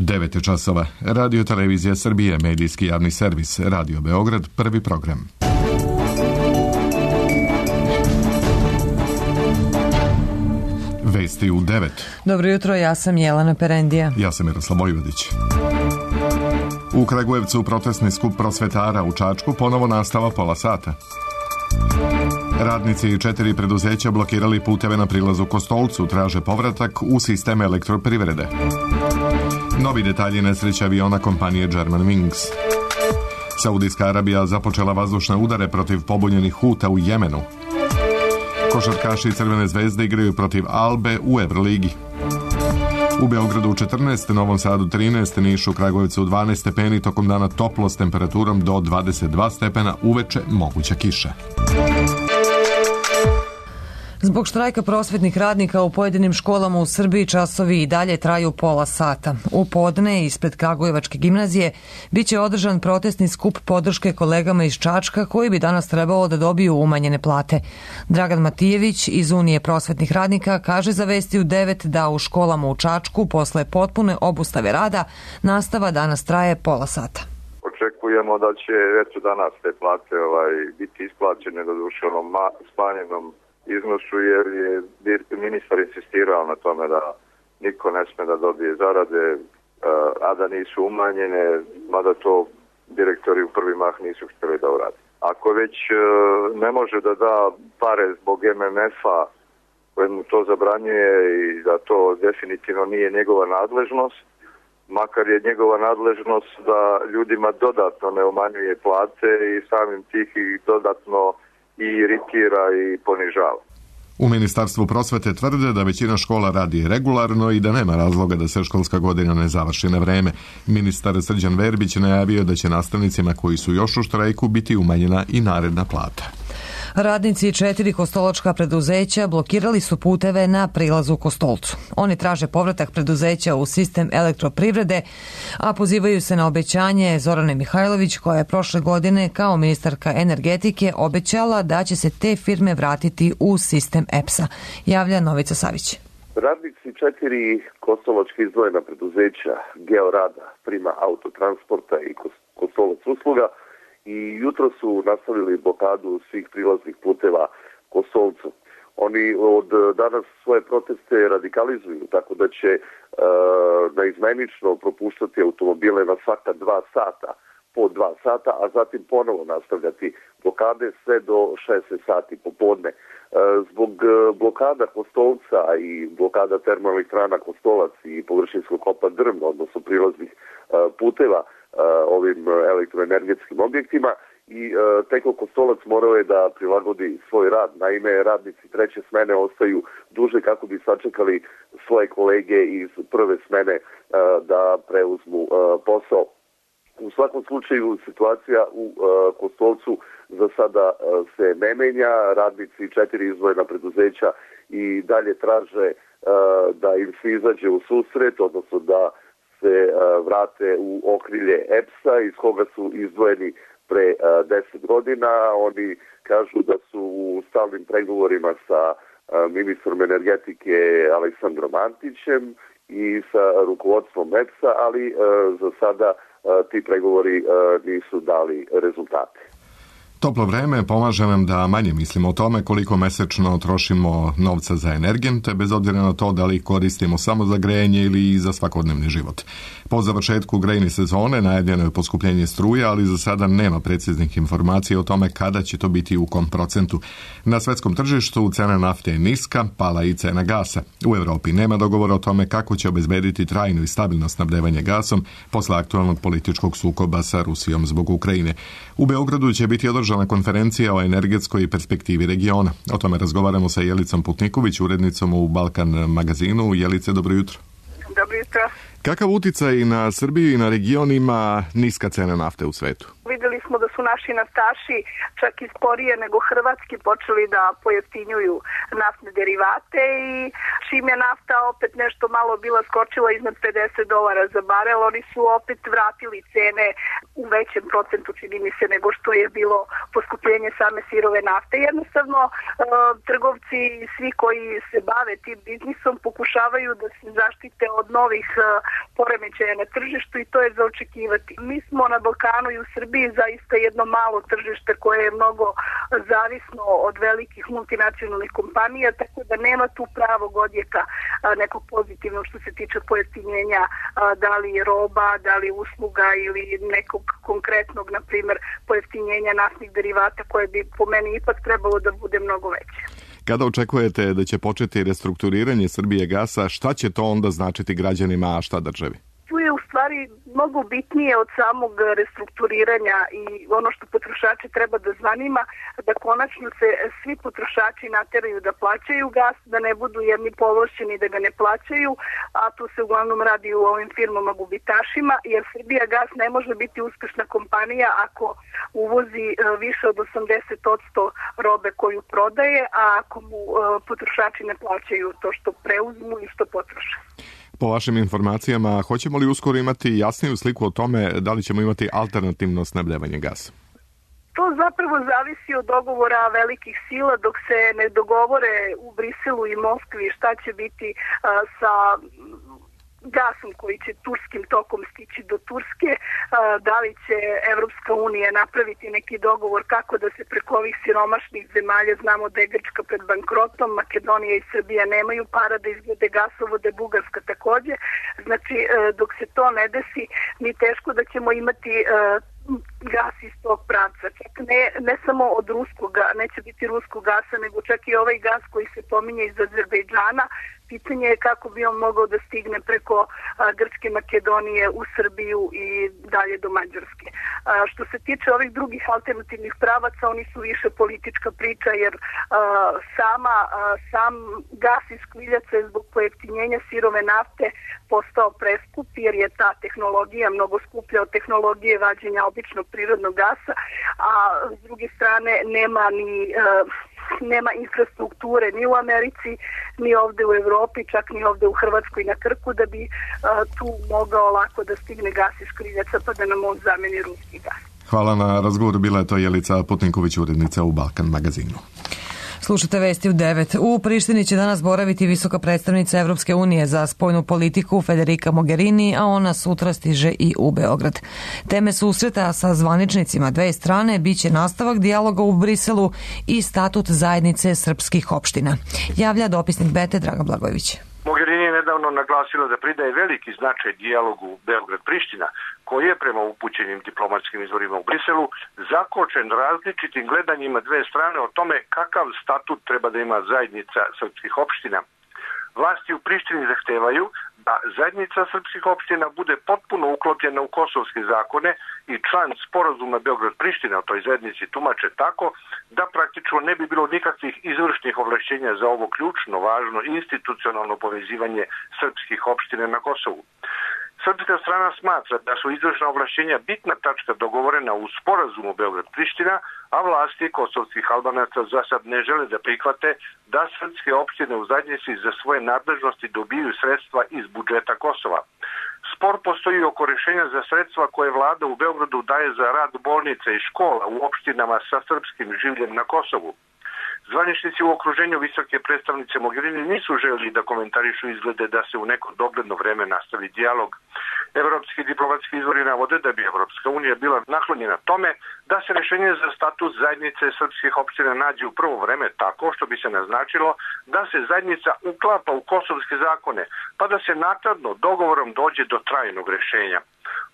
9 časova. Radio Televizija Srbije, medijski javni servis, Radio Beograd, prvi program. Vesti u 9. Dobro jutro, ja sam Jelena Perendija. Ja sam Miroslav Vojvodić. U Kragujevcu protestni skup prosvetara, u Čačku ponovo nastava pola sata. Radnici 4 preduzeća blokirali puteve na prilazu Kostolcu, traže povratak u sistem elektroprivrede. Novi detalji nesreće aviona kompanije Germanwings. Saudijska Arabija započela vazdušne udare protiv pobunjenih Huta u Jemenu. Košarkaši Crvene zvezde igraju protiv Albe u Evroligi. U Beogradu 14, Novom Sadu 13, Nišu, Kragujevcu 12 stepeni, tokom dana toplo s temperaturom do 22 stepena, uveče moguća kiša. Zbog štrajka prosvetnih radnika u pojedinim školama u Srbiji časovi i dalje traju pola sata. U podne ispred Kragujevačke gimnazije biće održan protestni skup podrške kolegama iz Čačka koji bi danas trebalo da dobiju umanjene plate. Dragan Matijević iz Unije prosvetnih radnika kaže za Vesti u 9 da u školama u Čačku posle potpune obustave rada nastava danas traje pola sata. Očekujemo da će danas te plate biti isplaćene doduše smanjenom iznosu, jer je ministar insistirao na tome da niko ne sme da dobije zarade, a da nisu umanjene, mada to direktori u prvi mah nisu htjeli da urade. Ako već ne može da da pare zbog MMF-a koje mu to zabranjuje i da to definitivno nije njegova nadležnost, makar je njegova nadležnost da ljudima dodatno ne umanjuje plate i samim tih ih dodatno i iritira i ponižava. U Ministarstvu prosvete tvrde da većina škola radi regularno i da nema razloga da se školska godina ne završi na vreme. Ministar Srđan Verbić najavio da će nastavnicima koji su još u štrajku biti umanjena i naredna plata. Radnici 4 kostolačka preduzeća blokirali su puteve na prilazu Kostolcu. Oni traže povratak preduzeća u sistem elektroprivrede, a pozivaju se na obećanje Zorane Mihajlović koja je prošle godine kao ministarka energetike obećala da će se te firme vratiti u sistem EPS-a. Javlja Novica Savić. Radnici 4 kostolačka izdvojena preduzeća Georada, Prima autotransporta i Kostolac usluga i jutro su nastavili blokadu svih prilaznih puteva Kostolcu. Oni od danas svoje proteste radikalizuju, tako da će naizmenično propuštati automobile na svaka 2 sata, po 2 sata, a zatim ponovo nastavljati blokade sve do 16 sati popodne. Zbog blokada Kostolca i blokada termoelektrana Kostolac i površinskog kopa Drvno, odnosno prilaznih puteva ovim elektroenergetskim objektima, i Teko Kostolac morao je da prilagodi svoj rad. Naime, radnici treće smene ostaju duže kako bi sačekali svoje kolege iz prve smene da preuzmu posao. U svakom slučaju situacija u Kostolcu za sada se ne menja. Radnici 4 izdvojena preduzeća i dalje traže da im se izađe u susret, odnosno da se vrate u okrilje EPS-a iz koga su izdvojeni pre 10 godina. Oni kažu da su u stalnim pregovorima sa ministrom energetike Aleksandrom Antićem i sa rukovodstvom EPS-a, ali za sada ti pregovori nisu dali rezultate. Toplo vreme pomaže nam da manje mislimo o tome koliko mesečno trošimo novca za energente, bez obzira na to da li koristimo samo za grejanje ili za svakodnevni život. Po završetku grejne sezone najavljeno je poskupljenje struje, ali za sada nema preciznih informacija o tome kada će to biti u kom procentu. Na svetskom tržištu cena nafte je niska, pala i cena gasa. U Evropi nema dogovora o tome kako će obezbediti trajno i stabilno snabdevanje gasom posle aktualnog političkog sukoba sa Rusijom zbog Ukrajine. U Beogradu će biti održana konferencija o energetskoj perspektivi regiona. O tome razgovaramo sa Jelicom Putniković, urednicom u Balkan magazinu. Jelice, dobro jutro. Dobro jutro. Kakav uticaj na Srbiju i na region ima niska cena nafte u svetu? Videli smo smo da su naši naftaši čak i sporije nego hrvatski počeli da pojeftinjuju naftne derivate i čim je nafta opet nešto malo bila skočila iznad $50 za barel, oni su opet vratili cene u većem procentu, čini mi se, nego što je bilo poskupljenje same sirove nafte. Jednostavno, trgovci i svi koji se bave tim biznisom pokušavaju da se zaštite od novih poremećaja na tržištu i to je za očekivati. Mi smo na Balkanu i u Srbiji zaista jedno malo tržište koje je mnogo zavisno od velikih multinacionalnih kompanija, tako da nema tu pravog odjeka nekog pozitivnog što se tiče pojeftinjenja da li roba, da li usluga ili nekog konkretnog, na primjer, pojeftinjenja naftnih derivata koje bi po meni ipak trebalo da bude mnogo veće. Kada očekujete da će početi restrukturiranje Srbijagasa, šta će to onda značiti građanima, a šta državi? Tu je u stvari mnogo bitnije od samog restrukturiranja i ono što potrošače treba da zanima, da konačno se svi potrošači nateraju da plaćaju gas, da ne budu jedni povlašćeni da ga ne plaćaju, a tu se uglavnom radi u ovim firmama gubitašima, jer Srbijagas ne može biti uspešna kompanija ako uvozi više od 80% robe koju prodaje, a ako mu potrošači ne plaćaju to što preuzmu i što potroše. Po vašim informacijama, hoćemo li uskoro imati jasniju sliku o tome da li ćemo imati alternativno snabdevanje gasa? To zapravo zavisi od dogovora velikih sila dok se ne dogovore u Briselu i Moskvi šta će biti sa gasom koji će turskim tokom stići do Turske, da li će Evropska unija napraviti neki dogovor kako da se preko ovih siromašnih zemalja, znamo da je Grčka pred bankrotom, Makedonija i Srbija nemaju para da izgrade gasovode, Bugarska takođe. Znači, dok se to ne desi, mi teško da ćemo imati gas iz tog pravca. Čak ne samo od ruskog, neće biti ruskog gasa, nego čak i ovaj gas koji se pominje iz Azerbejdžana. Pitanje je kako bi on mogao da stigne preko Grčke, Makedonije u Srbiju i dalje do Mađarske. Što se tiče ovih drugih alternativnih pravaca, oni su više politička priča, jer sam gas iz škriljaca je zbog pojeftinjenja sirove nafte postao preskup, jer je ta tehnologija mnogo skuplja od tehnologije vađenja običnog prirodnog gasa, a s druge strane nema infrastrukture ni u Americi, ni ovde u Evropi, čak ni ovde u Hrvatskoj na Krku, da bi tu mogao lako da stigne gas iz škriljaca pa da nam on zameni ruski gas. Hvala na razgovoru, bila je to Jelica Putninković, urednica u Balkan magazinu. Slušajte vesti u 9. U Prištini će danas boraviti visoka predstavnica Evropske unije za spoljnu politiku Federica Mogherini, a ona sutra stiže i u Beograd. Teme susreta sa zvaničnicima dve strane biće nastavak dijaloga u Briselu i statut zajednice srpskih opština. Javlja dopisnik Bete Dragan Blagojević. Mogherini je nedavno naglasila da pridaje veliki značaj dijalogu Beograd-Priština, koji je prema upućenim diplomatskim izvorima u Briselu zakočen različitim gledanjima dve strane o tome kakav statut treba da ima zajednica srpskih opština. Vlasti u Prištini zahtevaju da zajednica srpskih opština bude potpuno uklopljena u kosovske zakone i član sporazuma Beograd-Priština o toj zajednici tumače tako da praktično ne bi bilo nikakvih izvršnih ovlašćenja za ovo ključno, važno institucionalno povezivanje srpskih opština na Kosovu. Srpska strana smatra da su izvršna ovlašćenja bitna tačka dogovorena u sporazumu Beograd-Priština, a vlasti kosovskih Albanaca za sad ne žele da prihvate da srpske opštine u zajednici za svoje nadležnosti dobiju sredstva iz budžeta Kosova. Spor postoji oko rešenja za sredstva koje vlada u Beogradu daje za rad bolnica i škola u opštinama sa srpskim življem na Kosovu. Zvaničnici u okruženju visoke predstavnice Mogherini nisu želeli da komentarišu izglede da se u neko dogledno vreme nastavi dijalog. Evropski diplomatski izvori navode da bi Evropska unija bila naklonjena tome da se rešenje za status zajednice srpskih opština nađe u prvo vreme tako što bi se naznačilo da se zajednica uklapa u kosovske zakone, pa da se naknadno dogovorom dođe do trajnog rešenja.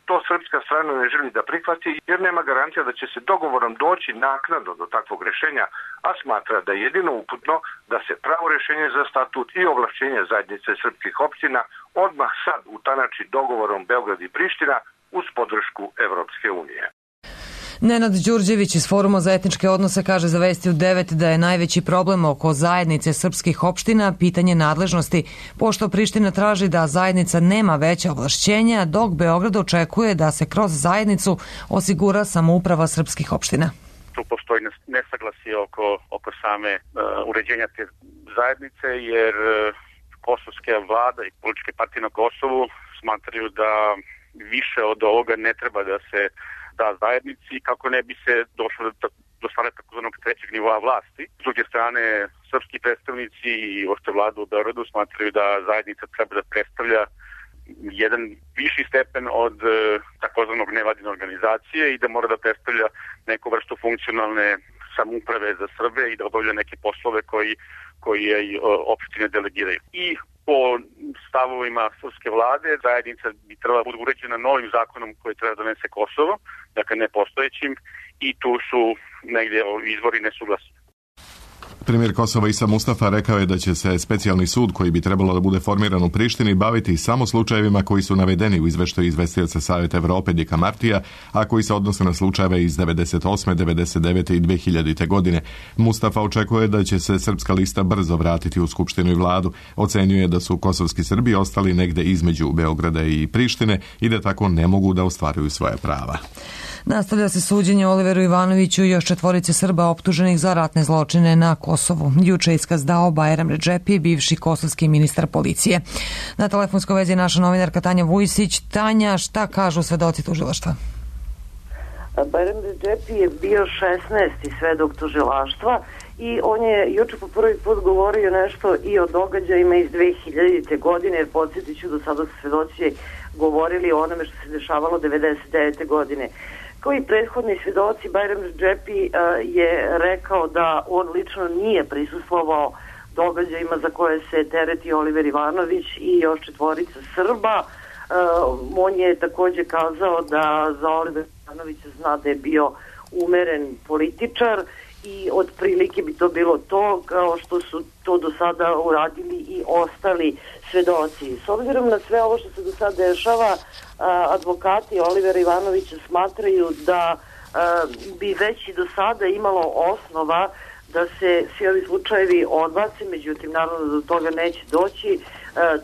To srpska strana ne želi da prihvati jer nema garancija da će se dogovorom doći naknadno do takvog rešenja, a smatra da je jedino uputno da se pravo rešenje za statut i ovlašćenje zajednice srpskih opština odmah sad utanači dogovorom Beograd i Priština uz podršku Evropske unije. Nenad Đurđević iz Foruma za etničke odnose kaže za Vesti u 9 da je najveći problem oko zajednice srpskih opština pitanje nadležnosti, pošto Priština traži da zajednica nema veća ovlašćenja, dok Beograd očekuje da se kroz zajednicu osigura samouprava srpskih opština. Tu postoji nesaglasje oko same uređenja te zajednice, jer kosovska vlada i političke partije na Kosovu smatraju da više od ovoga ne treba da se da zajednici kako ne bi se došlo do stvaranja takozvanog trećeg nivoa vlasti. S druge strane, srpski predstavnici i uopšte vlada u Beogradu smatraju da zajednica treba da predstavlja jedan viši stepen od takozvanog nevladine organizacije i da mora da predstavlja neku vrstu funkcionalne samouprave za Srbe i da obavlja neke poslove koji je opštine delegiraju. I po stavovima srpske vlade zajednica bi trebala biti uređena novim zakonom koji treba da donese Kosovo, dakle nepostojećim, i tu su negdje izvori nesuglasni. Premijer Kosova Isa Mustafa rekao je da će se specijalni sud koji bi trebalo da bude formiran u Prištini baviti samo slučajevima koji su navedeni u izveštaju izvestioca Saveta Evrope Dika Martija, a koji se odnose na slučajeve iz 98., 99. i 2000. godine. Mustafa očekuje da će se srpska lista brzo vratiti u Skupštinu i vladu. Ocenjuje da su kosovski Srbi ostali negde između Beograda i Prištine i da tako ne mogu da ostvaruju svoje prava. Nastavlja se suđenje Oliveru Ivanoviću i još 4 Srba optuženih za ratne zločine na Kosovu. Juče iskaz dao Bajram Redžepi, bivši kosovski ministar policije. Na telefonskoj vezi je naša novinarka Tanja Vujsić. Tanja, šta kažu svedoci tužilaštva? Bajram Redžepi je bio 16. svedok tužilaštva i on je juče po prvi put govorio nešto i o događajima iz 2000. godine, jer podsjetit ću, do sada su svedoci govorili o onome što se dešavalo 99. godine. Kao i prethodni svedoci, Bajram Redžepi je rekao da on lično nije prisustvovao događajima za koje se tereti Oliver Ivanović i još 4 Srba. On je također kazao da za Oliver Ivanovića zna da je bio umeren političar i otprilike bi to bilo to, kao što su to do sada uradili i ostali svedoci. S obzirom na sve ovo što se do sada dešava, advokati Olivera Ivanovića smatraju da bi već i do sada imalo osnova da se svi ovi slučajevi odbace, međutim naravno da do toga neće doći.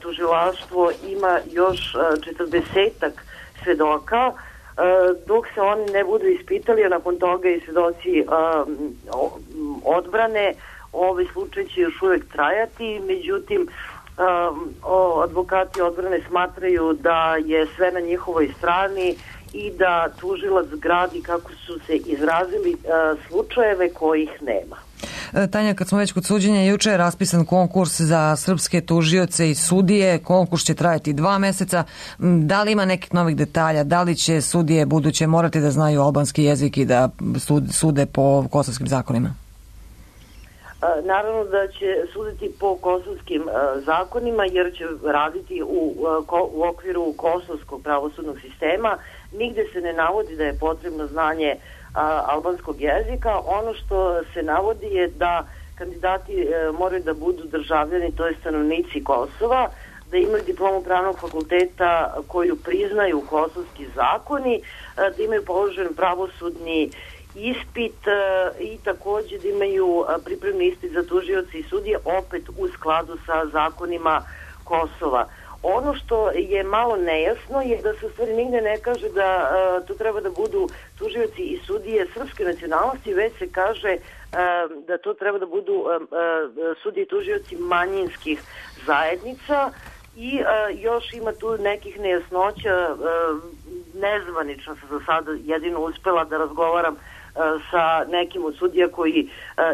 Tužilaštvo ima još 40 svedoka, dok se oni ne budu ispitali, a nakon toga i svedoci odbrane, ovaj slučaj će još uvijek trajati, međutim advokati odbrane smatraju da je sve na njihovoj strani i da tužilac gradi, kako su se izrazili, slučajeve kojih nema. Tanja, kad smo već kod suđenja, juče je raspisan konkurs za srpske tužioce i sudije. Konkurs će trajati 2 meseca. Da li ima nekih novih detalja? Da li će sudije buduće morati da znaju albanski jezik i da sude po kosovskim zakonima? Naravno da će suditi po kosovskim zakonima, jer će raditi u okviru kosovskog pravosudnog sistema. Nigde se ne navodi da je potrebno znanje albanskog jezika. Ono što se navodi je da kandidati moraju da budu državljani, to je stanovnici Kosova, da imaju diplomu pravnog fakulteta koju priznaju kosovski zakoni, da imaju položen pravosudni ispit i također da imaju pripremni ispit za tužioce i sudije, opet u skladu sa zakonima Kosova. Ono što je malo nejasno je da se u stvari nigde ne kaže da to treba da budu tužioci i sudije srpske nacionalnosti, već se kaže da to treba da budu sudije i tužioci manjinskih zajednica i još ima tu nekih nejasnoća. Nezvanično sam za sada jedino uspela da razgovaram sa nekim od sudija koji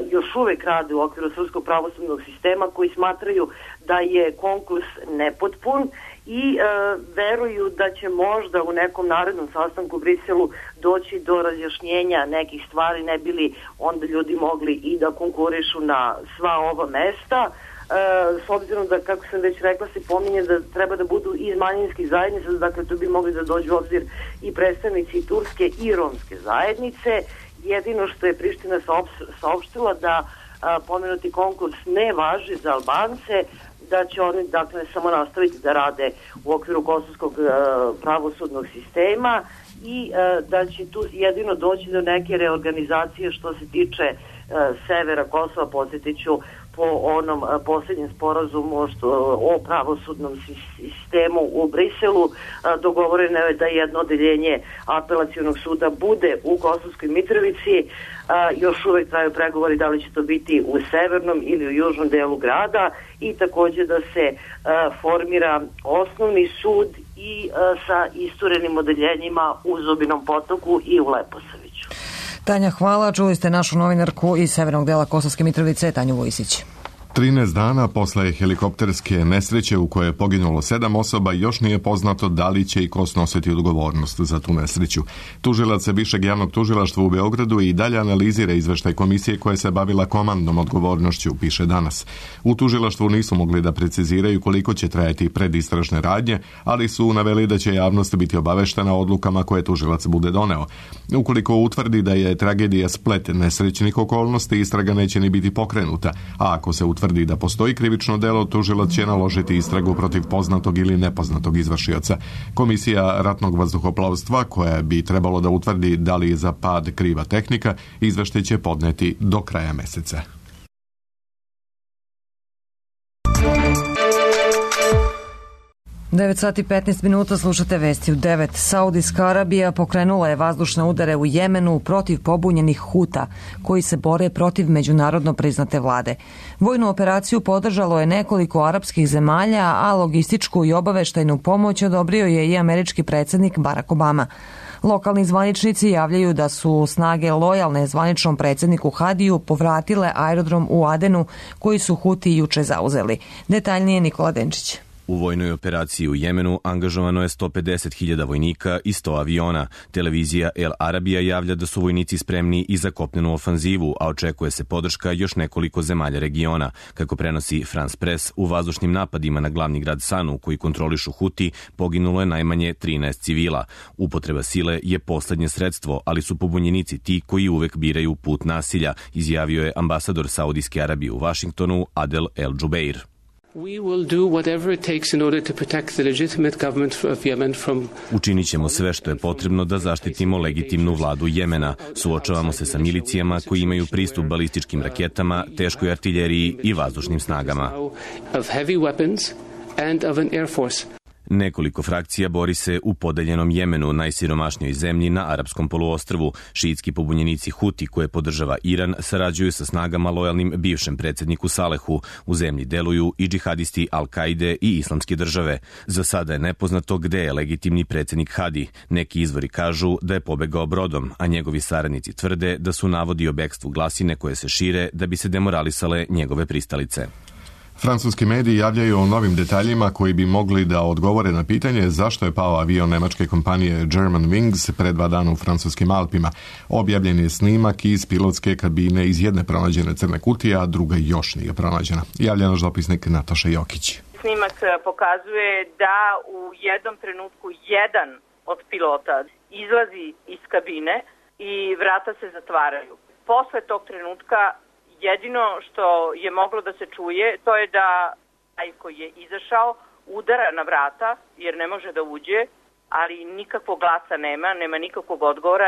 još uvek rade u okviru srpskog pravosudnog sistema, koji smatraju da je konkurs nepotpun i veruju da će možda u nekom narednom sastanku u Briselu doći do razjašnjenja nekih stvari, ne bili onda ljudi mogli i da konkurišu na sva ova mesta. S obzirom da, kako sam već rekla, se pominje da treba da budu iz manjinskih zajednica, dakle tu bi mogli da dođu u obzir i predstavnici turske i romske zajednice. Jedino što je Priština saopštila da pomenuti konkurs ne važi za Albance, da će oni dakle samo nastaviti da rade u okviru kosovskog pravosudnog sistema i da će tu jedino doći do neke reorganizacije što se tiče severa Kosova. Podsjetiću, po onom posljednjem sporazumu o pravosudnom sistemu u Briselu dogovoreno je da jedno odeljenje apelacionog suda bude u Kosovskoj Mitrovici. Još uvek traju pregovori da li će to biti u severnom ili u južnom delu grada i takođe da se formira osnovni sud i sa isturenim odeljenjima u Zubinom Potoku i u Leposaviću. Tanja, hvala. Čuli ste našu novinarku iz severnog dela Kosovske Mitrovice, Tanju Vojsić. 13 dana posle helikopterske nesreće u kojoj je poginulo 7 osoba još nije poznato da li će i ko snositi odgovornost za tu nesreću. Tužilac Višeg javnog tužilaštva u Beogradu i dalje analizira izveštaj komisije koja se bavila komandnom odgovornošću, piše Danas. U tužilaštvu nisu mogli da preciziraju koliko će trajati predistražne radnje, ali su naveli da će javnost biti obaveštena odlukama koje tužilac bude doneo. Ukoliko utvrdi da je tragedija splet nesrećnih okolnosti, istraga neće ni biti pokrenuta, a ako se utvrdi da postoji krivično delo, tužilac će naložiti istragu protiv poznatog ili nepoznatog izvršioca. Komisija ratnog vazduhoplovstva, koja bi trebalo da utvrdi da li je za pad kriva tehnika, izveštaj će podneti do kraja meseca. Devet sati 15 minuta, slušate vesti u 9. Saudijska Arabija pokrenula je vazdušne udare u Jemenu protiv pobunjenih Huta, koji se bore protiv međunarodno priznate vlade. Vojnu operaciju podržalo je nekoliko arapskih zemalja, a logističku i obaveštajnu pomoć odobrio je i američki predsjednik Barack Obama. Lokalni zvaničnici javljaju da su snage lojalne zvaničnom predsjedniku Hadiju povratile aerodrom u Adenu, koji su Huti juče zauzeli. Detaljnije Nikola Denčić. U vojnoj operaciji u Jemenu angažovano je 150.000 vojnika i 100 aviona. Televizija El Arabija javlja da su vojnici spremni i za kopnenu ofanzivu, a očekuje se podrška još nekoliko zemalja regiona. Kako prenosi France Press, u vazdušnim napadima na glavni grad Sanu, koji kontrolišu Huti, poginulo je najmanje 13 civila. Upotreba sile je poslednje sredstvo, ali su pobunjenici ti koji uvek biraju put nasilja, izjavio je ambasador Saudijske Arabije u Vašingtonu Adel El Jubeir. Učinit ćemo sve što je potrebno da zaštitimo legitimnu vladu Jemena. Suočavamo se sa milicijama koji imaju pristup balističkim raketama, teškoj artiljeriji i vazdušnim snagama. Nekoliko frakcija bori se u podeljenom Jemenu, najsiromašnijoj zemlji na arapskom poluostrvu. Šiitski pobunjenici Huti, koje podržava Iran, sarađuju sa snagama lojalnim bivšem predsjedniku Salehu. U zemlji deluju i džihadisti Al-Kaide i Islamske države. Za sada je nepoznato gde je legitimni predsjednik Hadi. Neki izvori kažu da je pobegao brodom, a njegovi saradnici tvrde da su navodi o bekstvu glasine koje se šire da bi se demoralisale njegove pristalice. Francuski mediji javljaju o novim detaljima koji bi mogli da odgovore na pitanje zašto je pao avion nemačke kompanije German Wings pre 2 dana u francuskim Alpima. Objavljen je snimak iz pilotske kabine iz jedne pronađene crne kutije, a druga još nije pronađena. Javlja naš dopisnik Nataša Jokić. Snimak pokazuje da u jednom trenutku jedan od pilota izlazi iz kabine i vrata se zatvaraju. Posle tog trenutka jedino što je moglo da se čuje, to je da taj koji je izašao udara na vrata jer ne može da uđe, ali nikakvog glasa nema nikakvog odgovora.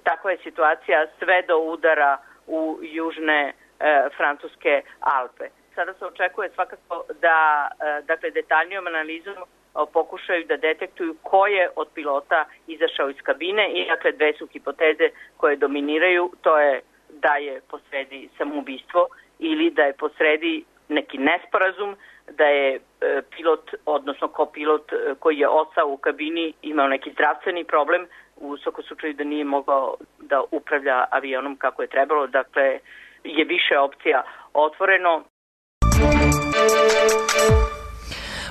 Takva je situacija sve do udara u južne francuske Alpe. Sada se očekuje svakako da detaljnijom analizom pokušaju da detektuju ko je od pilota izašao iz kabine i dve su hipoteze koje dominiraju, to je da je posredi samoubistvo ili da je posredi neki nesporazum, da je pilot, odnosno kopilot koji je ostao u kabini imao neki zdravstveni problem, u svakom slučaju da nije mogao da upravlja avionom kako je trebalo, dakle je više opcija otvoreno.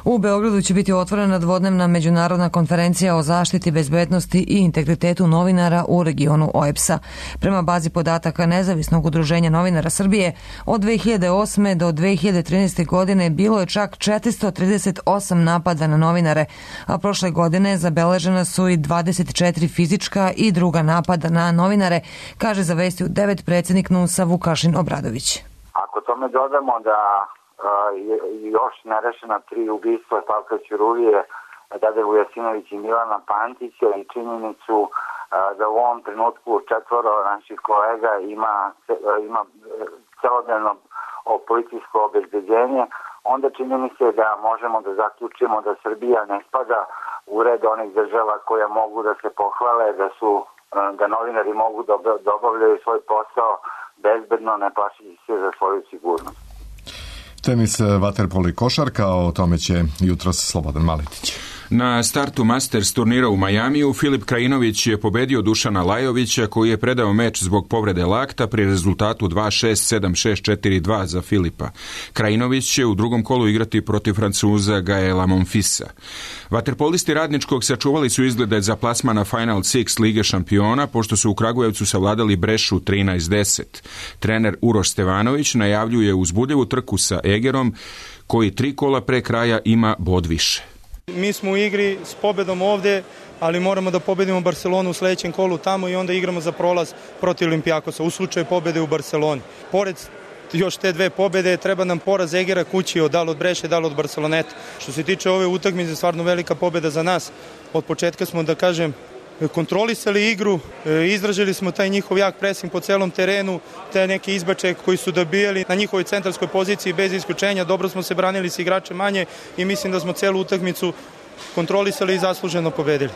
U Beogradu će biti otvorena dvodnevna međunarodna konferencija o zaštiti, bezbednosti i integritetu novinara u regionu OEBS-a. Prema bazi podataka Nezavisnog udruženja novinara Srbije, od 2008. do 2013. godine bilo je čak 438 napada na novinare, a prošle godine zabeležena su i 24 fizička i druga napada na novinare, kaže za Vesti u 9 predsjednik NUNS-a Vukašin Obradović. Ako tome dodamo da još nerešena 3 ubistva Slavka Ćuruvije Dade Vujasinović i Milana Pantića i činjenicu da u ovom trenutku 4 naših kolega ima celodnevno policijsko obezbeđenje, onda čini mi se da možemo da zaključimo da Srbija ne spada u red onih država koja mogu da se pohvale da novinari mogu da obavljaju svoj posao bezbedno, ne plašeći se za svoju sigurnost. Tenis, vaterpolo i košarka, o tome će jutros Slobodan Maletić. Na startu Masters turnira u Majamiju Filip Krajinović je pobedio Dušana Lajovića, koji je predao meč zbog povrede lakta pri rezultatu 2-6, 7-6, 4-2 za Filipa. Krajinović će u drugom kolu igrati protiv Francuza Gaela Monfisa. Vaterpolisti Radničkog sačuvali su izglede za plasman na Final Six Lige šampiona, pošto su u Kragujevcu savladali Brešu 13-10. Trener Uroš Stevanović najavljuje uzbudljivu trku sa Egerom, koji 3 kola pre kraja ima bod više. Mi smo u igri s pobedom ovde, ali moramo da pobedimo Barcelonu u sledećem kolu tamo i onda igramo za prolaz protiv Olimpijakosa u slučaju pobede u Barceloni. Pored još te 2 pobede treba nam poraz Egera kući da li od Breše, da li od Barceloneta. Što se tiče ove utakmice, stvarno velika pobeda za nas. Od početka smo, da kažem, kontrolisali igru, izražili smo taj njihov jak presing po celom terenu, te neke izbačaje koji su dobijali na njihovoj centarskoj poziciji bez isključenja. Dobro smo se branili s igračem manje i mislim da smo celu utakmicu kontrolisali i zasluženo pobedili.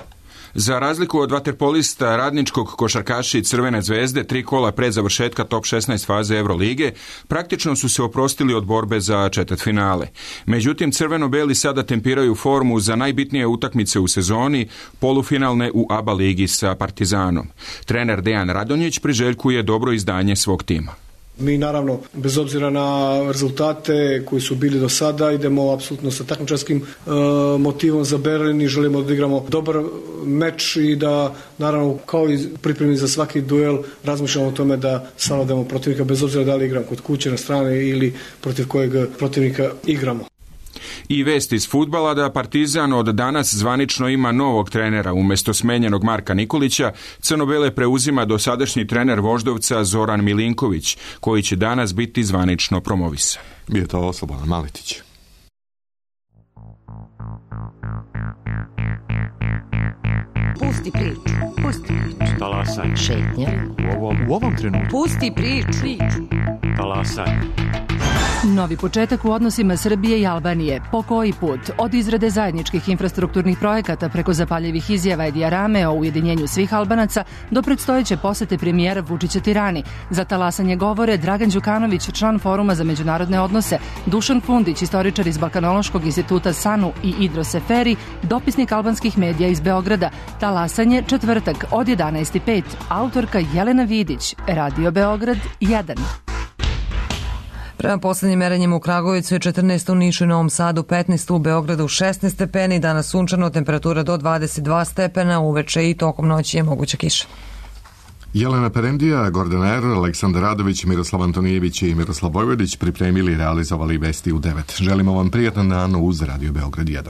Za razliku od vaterpolista Radničkog, košarkaši Crvene zvezde 3 kola pre završetka top 16 faze Evrolige praktično su se oprostili od borbe za četvrtfinale. Međutim, crveno-beli sada tempiraju formu za najbitnije utakmice u sezoni, polufinalne u ABA ligi sa Partizanom. Trener Dejan Radonjić priželjkuje dobro izdanje svog tima. Mi naravno, bez obzira na rezultate koji su bili do sada, idemo apsolutno sa takmičarskim motivom za Berlin i želimo da igramo dobar meč i da naravno kao i pripremi za svaki duel razmišljamo o tome da savladamo protivnika bez obzira da li igramo kod kuće na strane ili protiv kojeg protivnika igramo. I vest iz fudbala da Partizan od danas zvanično ima novog trenera. Umesto smenjenog Marka Nikolića, crno-bele preuzima dosadašnji trener Voždovca Zoran Milinković, koji će danas biti zvanično promovisan. Bio to Slobodan Maletić. Pusti priču. Pusti priču. Talasaj. Šetnja. U ovom trenutku. Pusti priču. Talasaj. Novi početak u odnosima Srbije i Albanije. Po koji put? Od izrade zajedničkih infrastrukturnih projekata preko zapaljivih izjava i dijarame o ujedinjenju svih Albanaca do predstojeće posete premijera Vučića Tirani. Za talasanje govore Dragan Đukanović, član Foruma za međunarodne odnose, Dušan Fundić, istoričar iz Balkanološkog instituta SANU i Idro Seferi, dopisnik albanskih medija iz Beograda. Talasanje četvrtak od 11:05. Autorka Jelena Vidić, Radio Beograd 1. Prema poslednjim merenjima u Kragujevcu je 14, u Nišu i Novom Sadu 15, u Beogradu 16 stepeni, danas sunčano, temperatura do 22 stepena, uveče i tokom noći je moguća kiša. Jelena Perendija, Gordana Err, Aleksandar Radović, Miroslav Antonijević i Miroslav Vojvodić pripremili i realizovali vesti u 9. Želimo vam prijatan dan uz Radio Beograd 1.